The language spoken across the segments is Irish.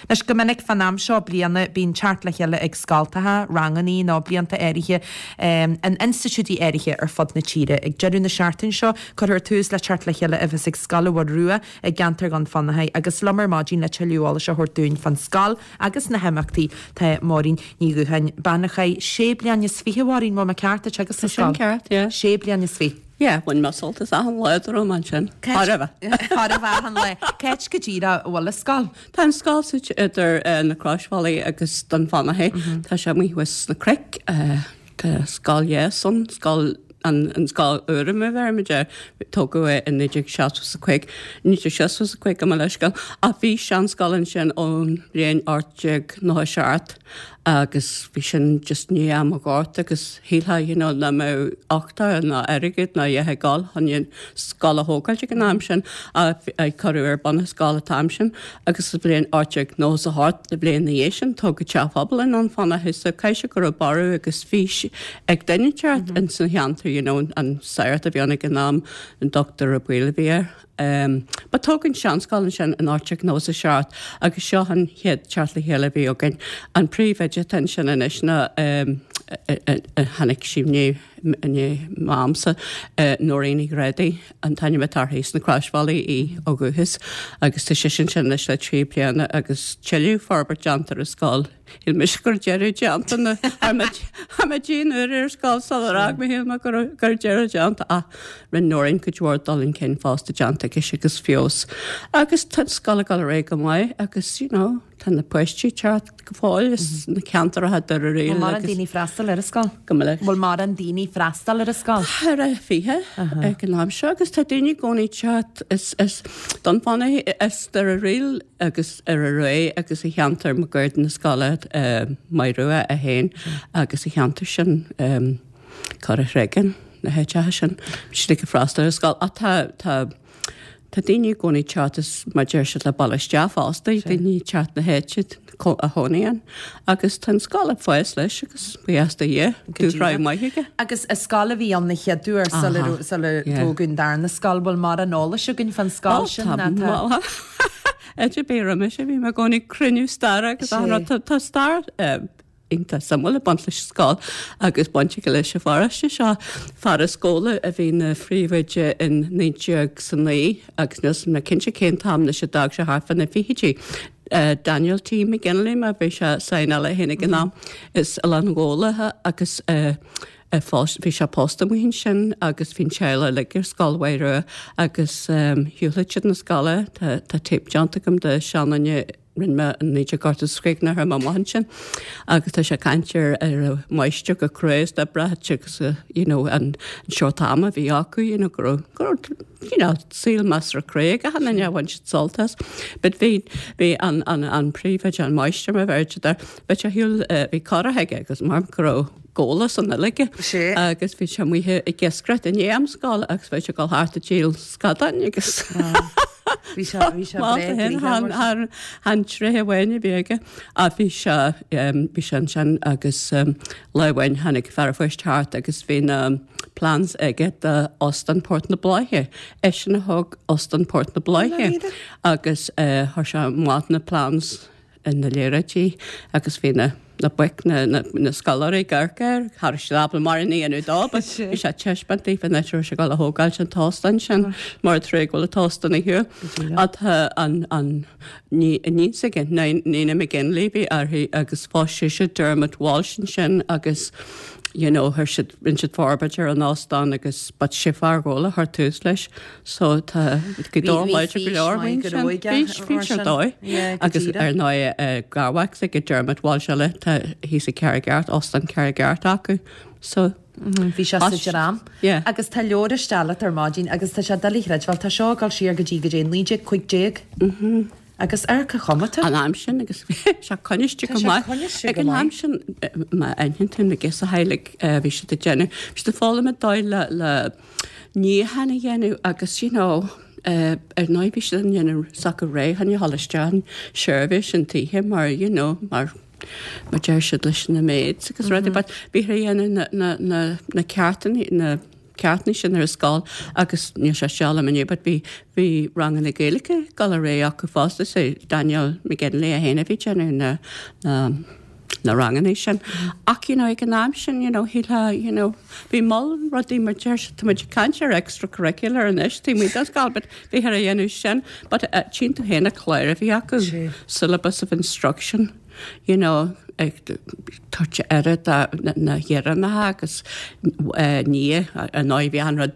Anois, go minic fán am seo bliana bíonn teacht le chéile ag scoltacha, rangannaí nó blianta áirithe in institiúidí áirithe ar fud na tíre. Ag deireadh na seachtaine seo cuirfear tús le teacht le chéile a bheas ag Scoil Mhaigh Rua i gceantar Dhún Fionnachaidh agus liom ar maidin le tuilleadh eolais a thabhairt dúinn fán scoil agus na himeachtaí tá Máirín Ní Dhúcháin, bean a chaith sé bliana is fiche, a Mháirín, bhfuil mé ceart, ag teagasc sa Tá sin scoil? ceart, yeah. Sé bliana is fiche. Yeah, bhain mé sult as achan lá dá raibh mé ansin. Chóir a bheith. Chóir a bheith achan lá. Cá háit go díreach a bhfuil an scoil? Tá an scoil suite idir na Croisbhealaí agus Dún Fionnachaidh. Tá sé amuigh thuas sna cnoic. Tá scoil dheas ann, scoil an an scoil úr mar a bheirimid air. Tógadh é i 1975, 1965 gabh mo leithscéal. Ach bhí seanscoil ansin ón bhliain 1897. agus bhí sin just i ndiaidh am an Ghorta agus shílfeá you know nach mbeadh uchtach ná airgead ná a dhath ag dul chun an scoil a thógáilt ag an am sin ach cuireadh ar bun an scoil an t-am sin agus sa bhliain 1898 an bhliain ina dhiaidh sin tógadh teach pobail i nDún Fionnachaidh so caithfidh sé go raibh borradh agus fís ag duine inteacht in san cheantar you know an sagart a bhí ann ag an am an Dr. Ó Baoill a bhí air. But tógadh an seanscoil ansin in 1897 agus seo an chéad teacht le chéile a bhí againn. An príomhoide atá ansin anois ná tháinig sí i ndiaidh m'amsa, Nóirín Ní Ghrádaigh an t-ainm atá uirthi, as na Croisbhealaí í ó dhúchas agus tá sise ansin anois le trí bliana agus tuilleadh forbairt déanta ar an scoil. Shíl mise go raibh deireadh déanta na Tha mé dian uair ar scoil sular fhág mé shíl mé go raibh deireadh déanta ach rinne Nóirín cuid mhór dul chun cinn fosta déanta aici agus feabhas. Agus tá an scoil ag dul ar aghaidh go maith agus you know tá na páistí ag teacht go fóill as na ceantracha Doire Riail Bhfuil mórán daoine freastal ar an scoil? Go minic. Bhfuil mórán daoine freastal ar an scoil? Tá ar 20 ag an am seo agus tá daoine i gcónaí ag teacht as Dún Fionnachaidh as Doire Riail agus ar aghaidh agus i cheantar máguaird na scoile Maigh Rua é féin agus sa cheantar sin Cora Chreagáin na háiteacha sin bhí siad ag freastal ar an scoil ach tá tá tá daoine i gcónaí ag teacht as mar deir siad le baile isteach fosta daoine ag teacht na háite a chónaí ann agus tá an scoil ag fás leis agus buíochas do Dhia dúshraith maith aige. Agus an scoil a bhí ann na chéad uair sular sular tógadh an darna scoil bhfuil mórán eolais againn fán scoil sin ná tá Áit ar bith roimis a bhí mé i gcónaí ag cruinniú staire agus achan rud. Tá stair iontach suimiúil ag baint leis an scoil agus baint aige leis an pharóiste seo. Fear as Gabhla a bhí ina phríomhoide in 1909 agus níl mé cinnte cén t-am anois a d'fhág sé thart fá na fichidí. Daniel T. McGinley mar bhí sé saighneáil é féin ag an am as Oileán Ghabhla agus Bhí sé pósta amuigh ansin agus bhí an teaghlach uilig ar Scoil Mhaigh Rua agus shiúlaigh siad na scoile. Tá téip déanta agam de seanduine rinne mé in 1985 nuair a chuaigh mé amach ansin agus tá sé ag caint ar ar an máistir chomh crua is d'oibreodh agus you know an seort ama a bhí acu you know go raibh go raibh you know saol measartha crua ag achan duine a bhain siad sult as. But bhí bhí an an an príomhoide an máistir mar a bheir siad air bhí sé shiúl bhí curach aige agus mar go raibh Gabhla san uilig agus bhí sé amuigh ag iascaireacht i ndiaidh am scoile agus bhí sé ag dul thart ag díol scadáin agus Bhí sé bhí sé breá gnoitheach mar sin. An tréith amháin a bhí aige ach bhí sé bhí sé ansin agus lá amháin tháinig fear an phoist thart agus bhí na plans aige do Óstán Port na Bláiche. Eisean a thóg Óstán Port na Bláiche agus chuir sé amach na plans ina léaráidí agus bhí na na boic, na na scoláirí ag amharc air, cha raibh siad ábalta mórán a dhéanamh dó but bhí sé ag taispeáint daofa an áit a raibh sé ag dul a thógáilt an t-óstán sin mar an trua go bhfuil an t-óstán ar shiúl. Ach tá an an ní iníon s'aige, Nina McGinley bhí uirthi agus phós sise Dermot Walsh ansin agus you know chuir siad rinne siad forbairt ar an óstán agus but sé fear Ghabhla a chuir tús leis. So tá go dóigh láidir go leor faoin sin. Bhí fís ar dóigh. Agus ar ndóigh garmhac s'aige Dermot Walsh eile tá thíos i Carraig Airt, Óstán Carraig Airt acu. So Bhí sé sa dream. Agus tá leabhar isteach leat ar maidin agus tá sé doiligh a chreidbheáil, tá seo ag dul siar go dtí go dtí 1915. Agus ar cén chuma atá? An am sin agus bhí sé coinniste go maith. Ag an am sin má aithníonn tú na girseachaí uilig bhí siad ag déanamh, bhí siad ag foghlaim an dóigh le le níochán a dhéanamh agus you know ar ndóigh bhí siad ag déanamh s'acu réidh chun a dhul isteach in seirbhís an toighe mar you know mar mar deir siad leis na maids agus rudaí but bhíthear ag déanamh na na na na ceartanna na. ceachtanna sin ar an scoil agus níl sé seo liom inniu but bhí bhí ranganna Gaeilge ag dul ar aghaidh acu fosta so Daniel McGinley é féin a bhí ag déanamh na na na ranganna sin. Ach you know ag an am sin you know shílfeá you know bhí moll rudaí mar deir siad tá muid ag caint ar extracurricular anois taobh amuigh den scoil but bhíthear a dhéanamh sin but tchíonn tú féin na cláir a bhí acu syllabus of instruction you know ag tabhairt aire do na hÉireannacha agus ní ar ndóigh bhí an rud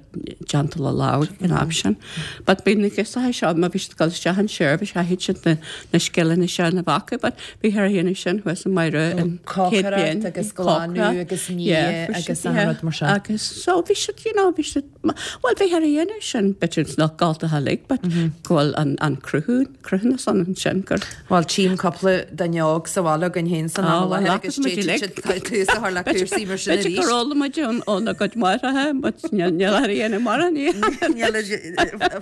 déanta le lámh ag an am sin. But bhí na girseacha seo má bhí siad ag dul isteach an seirbhís chaithfidh siad na na scileanna sin a bheith acu but bhíthear a dhéanamh sin thuas i Maigh Rua an chéad bhliain. Cócaireacht agus glanadh agus ní agus an rud mar sin. Agus so bhí siad you know bhí siad Bhuel, bhíthear a dhéanamh sin, b'fhéidir nach scoltacha uilig, but go bhfuil an cruthú, cruthúnas ann ansin gur. Bhuel, tchím cúpla duine óg sa bhaile againn féin san am i láthair agus d'fhéadfadh siad tús a chur le cúrsaí mar sin arís. B'fhéidir gur fhoghlaim muid óna gcuid máithreacha, but níl ar a dhéanamh mar an Níl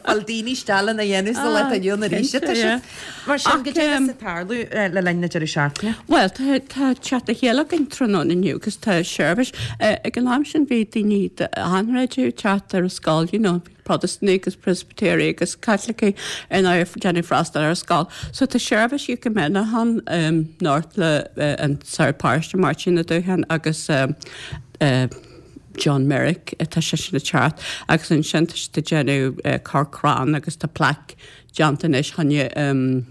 fáil daoine isteach lena dhéanamh sa lá atá inniu ann arís, tá siad. Mar sin, goidé a bheas ag tarlú le linn na deireadh seachtaine? Bhuel, tá teacht le chéile againn tráthnóna inniu agus tá seirbhís. Ag an am sin bhí daoine d'achan chreideamh ag teacht ar an scoil, you know, Protastúnaigh agus Preispitéirigh agus Caitlicigh ar ndóigh ag déanamh freastal ar an scoil. So tá seirbhís ecumeneach ann anocht le an Sagart Paróiste Máirtín Ó Dúcháin agus John Merrick tá seisean ag teacht agus ansin tá siad ag déanamh cur crann agus tá plaic déanta anois choinne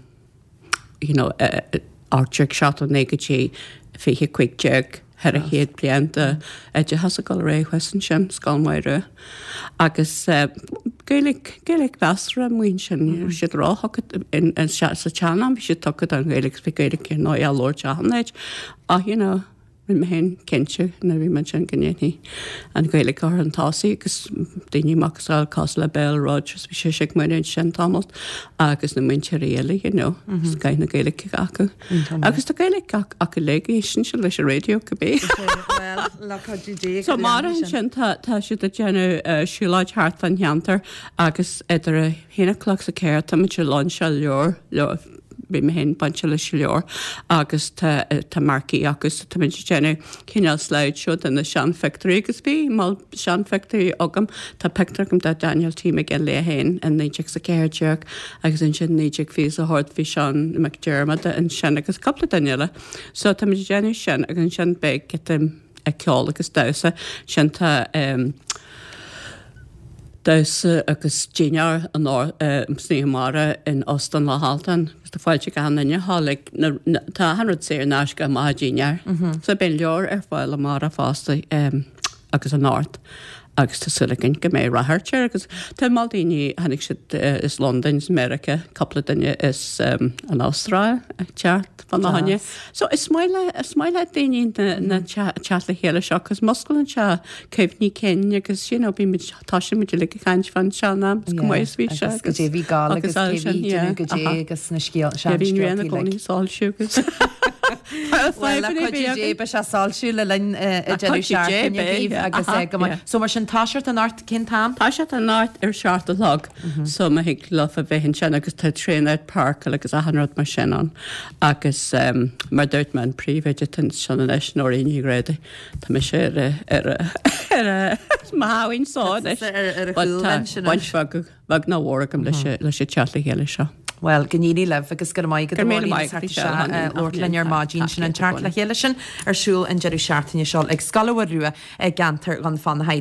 you know 1879 go dtí 2015 400 bliain d'oideachas ag dul ar aghaidh thuas ansin, Scoil Mhaigh Rua. Agus Gaeilge, Gaeilge mheasartha amuigh ansin, ní raibh siad róthugtha, sa tsean-am bhí siad tugtha don Ghaeilge agus bhí Gaeilge ar ndóigh á labhairt achan áit ach you know, Rinne mé féin cinnte nuair a bhí mé ansin go ndéanfaí an Ghaeilge a chur chun tosaigh agus daoine macasamhail cosúil le Bell Rogers, bhí sise ag múineadh ansin tamalt agus na múinteoirí eile, you know, scoth na Gaeilge acu. Agus tá Gaeilge acu uilig, éisteann siad leis an raidió cibé. Bhuel, le cuidiú Dé So amárach ansin tá tá siad ag déanamh siúlóid thart fán cheantar agus idir a haon a chlog is a ceathair tá muid ag lainseáil leabhar, leabhar, bhí mé féin bainte leis an leabhar agus tá tá marquee acu so tá muid ag déanamh cineál slideshow de na seanphictiúirí agus bhí moll seanphictiúirí agam. Tá pictiúr agam de Daniel T. McGinley é féin in 1914 agus ansin 1928 bhí Seán McDermott ansin agus cúpla duine eile. So tá muid ag déanamh sin agus ansin beidh giota ceoil agus damhsa. Ansin tá damhsa agus dinnéar san oíche amárach in Óstán Loch Altan agus tá fáilte ag achan duine a ghabháil ag na, tá achan rud saor in aisce amach an dinnéar. So beidh an leabhar ar fáil amárach fosta agus anocht agus tá súil againn go mbeidh ráchairt air agus tá moll daoine, tháinig siad as Londain, as Meiriceá, cúpla duine as an Astráil ag teacht fána choinne. So is maith le, is maith le daoine na, na teacht le chéile seo cos musclaíonn sé cuimhní cinn agus you know bímid, tosaíonn muid uilig ag caint fán sean-am is go maith is bhí sé agus goidé bhí gal agus cé bhí déanamh goidé agus na scéal, sean scéaltaí like. Bhí i gcónaí soilsiú agus Bhuel, le cuidiú Dé beidh sé soilsiú le linn an deireadh seachtaine daoibh agus go maith. So mar sin toiseacht anocht cén t-am? Toiseacht anocht ar 7 a chlog so má thig leofa bheith ansin agus tá traenáil páirceáil agus achan rud mar sin ann agus mar dúirt mé an príomhoide atá ansin anois Nóirín Ní Ghrádaigh tá mise ar a ar a ar a mo sháimhín só anois Ar a but chúl tá ansin baint bheag bheag nó mhór agam leis an leis an teacht le chéile seo. Bhuel, go n-éirí libh agus go raibh maith agat Go a raibh míle Mháirín maith as agat, theacht Michelle, isteach Hannah, labhairt linn ar maidin. Sin an teacht le chéile sin ar siúl an deireadh seachtaine seo ag Scoil Mhaigh Rua i gceantar Dhún Fionnachaidh.